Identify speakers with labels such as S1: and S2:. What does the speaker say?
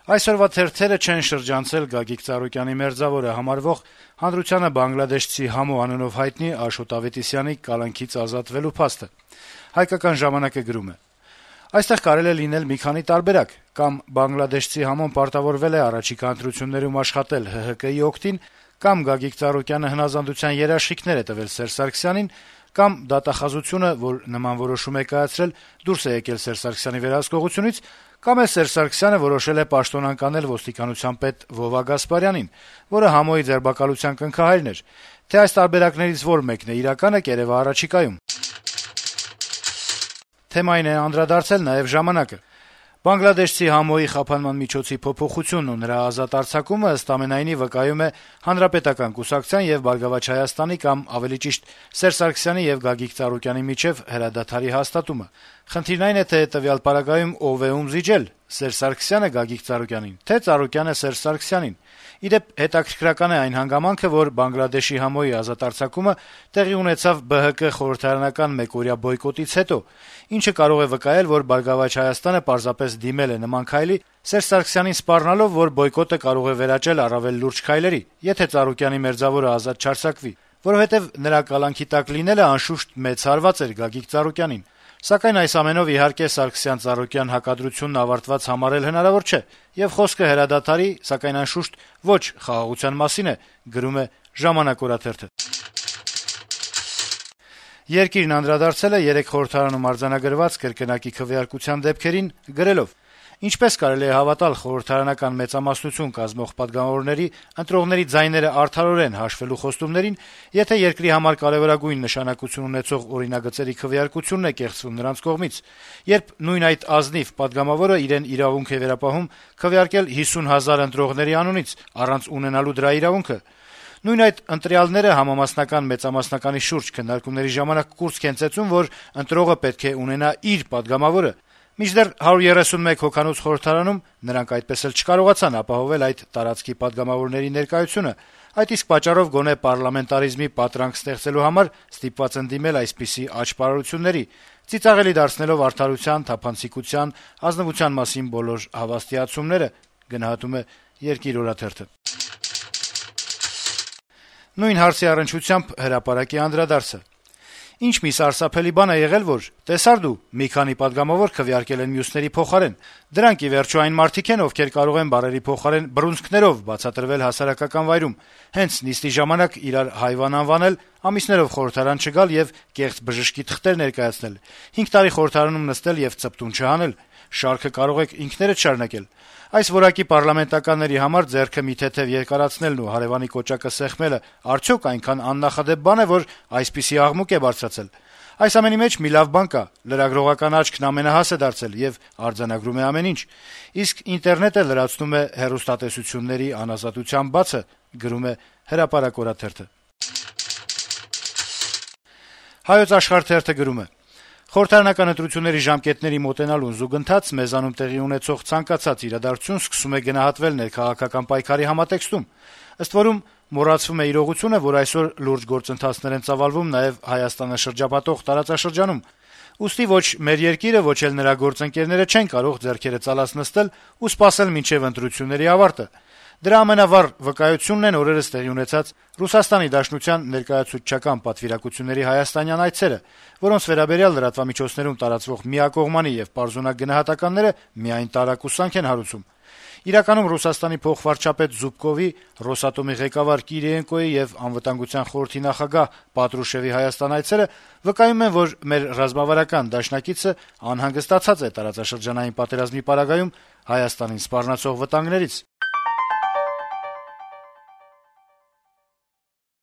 S1: Այսօրվա թերթերը չեն շրջանցել Գագիկ Ծառուկյանի մերձավորը համարվող հանրությանը բանգլադեշցի Համո անունով հայտնի Աշոտ Ավետիսյանի կալանքից ազատվելու փաստը։ Հայկական ժամանակը գրում է. - Այստեղ կարելի է լինել մի քանի տարբերակ. կամ բանգլադեշցի Համոն պարտավորվել է առաջիկա ընտրություններում աշխատել ՀՀԿ-ի օգտին, կամ Գագիկ Ծառուկյանը հնազանդության երաշխիքներ է տվել Սերժ Սարգսյանին, կամ դատախազությունը, որ նման որոշում է կայացրել, դուրս է եկել Սերժ Սարգսյանի վերահսկողությունից, կամ էլ Սերժ Սարգսյանը որոշել է պաշտոնանկանել ոստիկանության պետ Վովա Գասպարյանին, որը Համոյի ձերբակալության կնքահայրն էր, թե այս տարբերակներից որ մեկն է իրականը, կերեւա առաջիկայում։ Թեմային է անդրադարձել նաեւ «Ժամանակը»։ Բանգլադեշցի Համոյի խափանման միջոցի փոփոխությունն ու նրա ազատ արձակումը ըստ ամենայնի վկայում է Հանրապետական կուսակցության եւ «Բարգավաճ Հայաստանի» կամ ավելի ճիշտ Սերժ Սարգսյանի եւ Գագիկ Ծառուկյանի միջեւ հրադադարի հաստատումը։ Խնդիրն այն է, թե տվյալ պարագայում ով է ում զիջել՝ Սերժ Սարգսյանը Գագիկ Ծառուկյանին, թե Ծառուկյանը Սերժ Սարգսյանին։ Ի դեպ, հետաքրքրական է այն հանգամանքը, որ Բանգլադեշի Համոյի ազատ արձակումը տեղի ունեցավ ԲՀԿ խորհրդարանական մեկօրյա բոյկոտից հետո, ինչը կարող է վկայել, որ «Բարգավաճ Հայաստանը» պարզապես դիմել է նման քայլի, Սերժ Սարգսյանին սպառնալով, որ բոյկոտը կարող է վերաճել առավել լուրջ քայլերի, եթե Ծառուկյանի մերձավորը ազատ չարձակվի, որովհետեւ նրա կալանքի տակ լինելը անշուշտ մեծ հարված էր Գագիկ Ծառուկյանին։ Սակայն այս ամենով իհարկե Սարգսյան-Ծառուկյան հակադրությունն ավարտված համարել հնարավոր չէ, եւ խոսքը հրադադարի, սակայն անշուշտ ոչ խաղաղության մասին է, գրում է «Ժամանակ» օրաթերթը։ Երկիրն անդրադարձել է 3 խորհրդարանում արձանագրված կրկնակի քվեարկության դեպքերին, գրելով. - Ինչպես կարելի է հավատալ խորհրդարանական մեծամասնություն կազմող պատգամավորների ընտրողների ձայները արդարորեն հաշվելու խոստումներին, եթե երկրի համար կարեւորագույն նշանակություն ունեցող օրինագծերի քվեարկությունն է կեղծվում նրանց կողմից, երբ նույն այդ ազնիվ պատգամավորը իրեն իրավունք է վերապահում քվեարկել 50 հազար ընտրողների անունից, առանց ունենալու դրա իրավունքը, նույն այդ ընտրյալները համամասնական մեծամասնականի շուրջ քննարկումների ժամանակ կուրծք են ծեծում, որ ընտրողը պետք է ունենա իր պատգամավորը, մինչդեռ 131 հոգանոց խորհրդարանում նրանք այդպես էլ չկարողացան ապահովել այդ տարածքի պատգամավորների ներկայությունը, այդ իսկ պատճառով գոնե պարլամենտարիզմի պատրանք ստեղծելու համար ստիպված են դիմել այսպիսի աճպարարությունների, ծիծաղելի դարձնելով արդարության, թափանցիկության, ազնվության մասին բոլոր հավաստիացումները, գնահատում է «Երկիր» օրաթերթը։ Նույն հարցի առնչությամբ հրապարակի անդրադարձը. - Ինչ մի սարսափելի բան է եղել, որ տեսար դու մի քանի պատգամավոր քվեարկել են մյուսների փոխարեն, դրանք ի վերջո այն մարդիկ են, ովքեր կարող են բարերի փոխարեն բռունցքներով բացատրվել հասարակական վայրում, հենց նիստի ժամանակ իրար հայվան անվանել, ամիսներով խորհրդարան չգալ եւ կեղծ բժշկի թղթեր ներկայացնել, 5 տարի խորհրդարանում նստել եւ ծպտուն չհանել, շարքը կարող եք ինքներդ շարունակել։ Այս որակի պարլամենտականների համար ձեռքը մի թեթեւ երկարացնելն ու հարեւանի կոճակը սեղմելը արդյոք այնքան աննախադեպ բան է, որ այսպիսի աղմուկ է բարձրացել։ Այս ամենի մեջ մի լավ բան կա, լրագրողական աչքն ամենահաս է դարձել եւ արձանագրում է ամեն ինչ, իսկ ինտերնետը լրացնում է հեռուստատեսությունների անազատության բացը, գրում է Հրապարակ օրաթերթը։ Հայոց Աշխարհ թերթը գրում է. - Խորհրդարանական ընտրությունների ժամկետների մոտենալուն զուգընթաց մեզանում տեղի ունեցող ցանկացած իրադարձություն սկսում է գնահատվել ներքաղաքական պայքարի համատեքստում, ըստ որում մոռացվում է իրողությունը, որ այսօր լուրջ գործընթացներ են ծավալվում նաեւ Հայաստանը շրջապատող տարածաշրջանում։ Ուստի ոչ մեր երկիրը, ոչ էլ նրա գործընկերները չեն կարող ձեռքերը ծալած նստել ու սպասել մինչեւ ընտրությունների ավարտը։ Դրա ամենավառ վկայությունն են օրերս տեղի ունեցած Ռուսաստանի Դաշնության ներկայացուցչական պատվիրակությունների հայաստանյան այցերը, որոնց վերաբերյալ լրատվամիջոցներում տարածվող միակողմանի եւ պարզունակ գնահատականները միայն տարակուսանք են հարուցում։ Իրականում Ռուսաստանի փոխվարչապետ Զուբկովի, Ռոսատոմի ղեկավար Կիրիենկոյի եւ Անվտանգության խորհրդի նախագահ Պատրուշևի Հայաստան այցերը վկայում են, որ մեր ռազմավարական դաշնակիցը անհանգստացած է տարածաշրջանային պատերազմի պարագայում Հայաստանին սպառնացող վտանգներից։